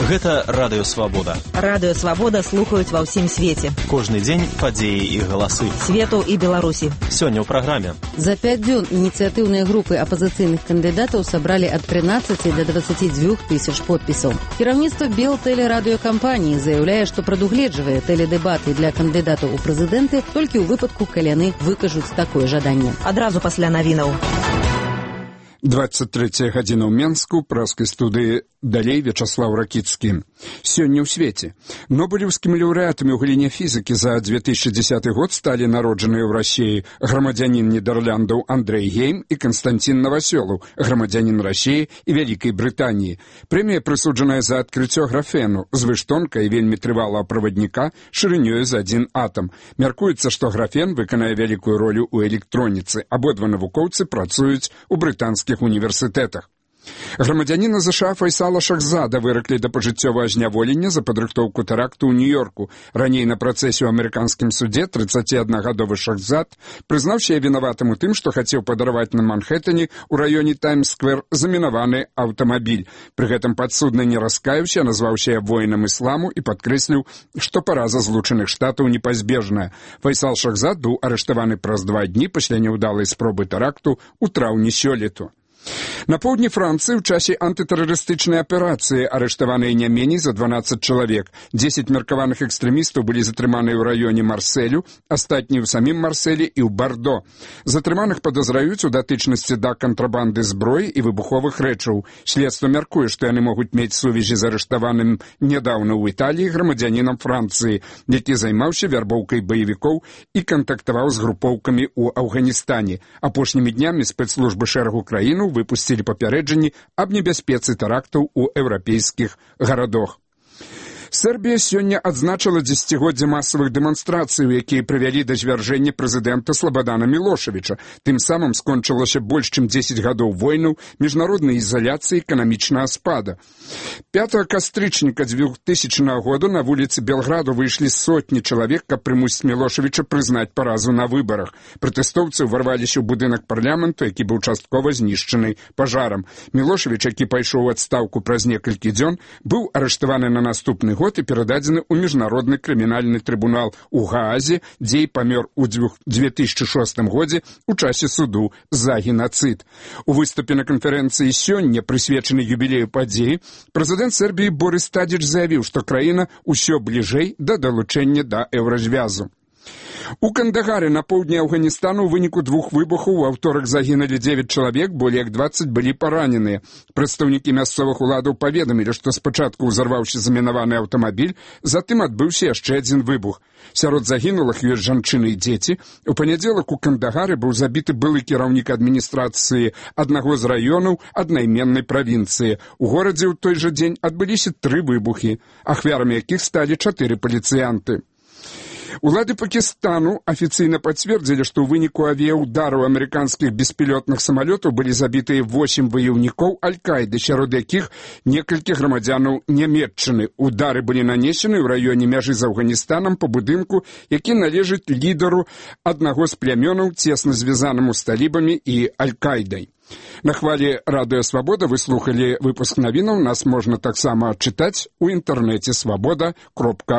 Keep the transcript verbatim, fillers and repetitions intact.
Гэта Радыё Свабода. Радыё Свабода слухаюць ва ўсім свеце. Кожны дзень падзеі і галасы. Свету і Беларусі. Сёння ў праграме. За пяць дзён ініцыятыўныя групы апазіцыйных кандыдатаў сабралі ад трынаццаці да дваццаці дзвюх тысяч подпісаў. Кіраўніцтва Белтэлерадыёкампаніі заяўляе, што прадугледжвае тэледэбаты для кандыдатаў у прэзідэнты толькі ў выпадку, калі яны выкажуць такое жаданне. Адразу пасля навінаў. двадцать третья гадзіна ў Менску, праскай студыі далей Вячаслав Ракіцкі. Сёння ў свеце. Нобелевскімі лаўрэатамі ў галіне фізікі за две тысячи десятый год сталі народжаныя ў Расіі грамадзянін Нідэрляндаў Андрэй Гейм і Канстантин Новасёлаў, грамадзянін Расіі і Вялікай Брытаніі. Прэмія прысуджаная за адкрыццё графену, звыштонка і вельмі трывалага правадніка шырынёю за адзін атам. Мяркуецца, што графен выканае вялікую ролю ў электроніцы. Абодва навукоўцы працуюць у брытанскіх універсітэтах. Грамадзяніна ЗША Файсала Шахзада выраклі да пажыццёвага зняволення за падрыхтоўку тэракту ў Нью-Йорку. Раней на працэсе ў амерыканскім суде трыццаціаднагадовы Шахзад прызнаўся вінаватым у тым, што хацеў падараваць на Манхэттане ў раёне Таймс-сквер замінаваны аўтамабіль. Пры гэтым падсудны не раскаяўся, назваўся воінам ісламу і падкрэсліў, што параза Злучаных Штатаў непазбежная. Файсал Шахзад быў арыштаваны праз два дні пасля няўдалай спробы тэракту ў траўні сёлету. На поўдні Францыі ў часе антытэрарыстычнай аперацыі арыштаваныя не меней за дванаццаць чалавек. дзесяць меркаваных экстрэмістаў былі затрыманыя ў раёне Марсэлю, астатнія ў самім Марсэлі і ў Бардо. Затрыманых падазраюць у датычнасці да кантрабанды зброі і выбуховых рэчаў. Следства мяркуе, што яны могуць мець сувязі з арыштаваным нядаўна ў Італіі грамадзянінам Францыі, які займаўся вярбоўкай баевікоў і кантактаваў з групоўкамі ў Афганістане. Апошнімі днямі спецслужбы шэрагу краінаў выпусцілі папярэджанні аб небяспецы тэрактаў у еўрапейскіх гарадах. Сербія сёння адзначыла дзесяцігоддзе масавых дэманстрацый, якія прывялі да звяржэння прэзідэнта Слабадана Мілошавіча. Тым самым скончылася больш чым дзесяць гадоў войнаў, міжнароднай ізаляцыі, эканамічнага спада. пятага кастрычніка двухтысячнага года на вуліцы Белграду выйшлі сотні чалавек, каб прымусіць Мілошавіча прызнаць паразу на выбарах. Пратэстоўцы ўварваліся ў будынак парламенту, які быў часткова знішчаны пажарам. Мілошавіч, які пайшоў у адстаўку праз некалькі дзён, быў арыштаваны на наступны год і перададзены ў міжнародны крымінальны трыбунал у Гаазе, дзе і памёр у две тысячи шостым годзе ў часе суду за генацыд. У выступе на канферэнцыі сёння, прысвечанай юбілею падзеі, прэзідэнт Сербіі Борис Тадзіч заявіў, што краіна ўсё бліжэй да далучэння да еўразвязу. У Кандагаре на поўдні Афганістану ў выніку двух выбухаў у аўторак загінулі дзевяць чалавек, болей як дваццаць былі параненыя. Прадстаўнікі мясцовых уладаў паведамілі, што спачатку ўзарваўся замінаваны аўтамабіль, затым адбыўся яшчэ адзін выбух. Сярод загінулых ёсць жанчыны і дзеці. У панядзелак у Кандагары быў забіты былы кіраўнік адміністрацыі аднаго з раёнаў аднайменнай правінцыі. У горадзе ў той жа дзень адбыліся тры выбухі, ахвярамі якіх сталі чатыры паліцыянты. Улады Пакістану афіцыйна пацвердзілі, што ў выніку авіяўдараў амерыканскіх беспілётных самалётаў былі забітыя восем ваяўнікоў Аль-Каіды, сярод якіх некалькі грамадзянаў Нямецчыны. Удары былі нанесены ў раёне мяжы з Афганістанам па будынку, які належыць лідару аднаго з плямёнаў, цесна звязанаму з талібамі і Аль-Каідай. На хвалі Радыё Свабода вы слухалі выпуск навінаў. Нас можна таксама чытаць у інтэрнэце свабода кропка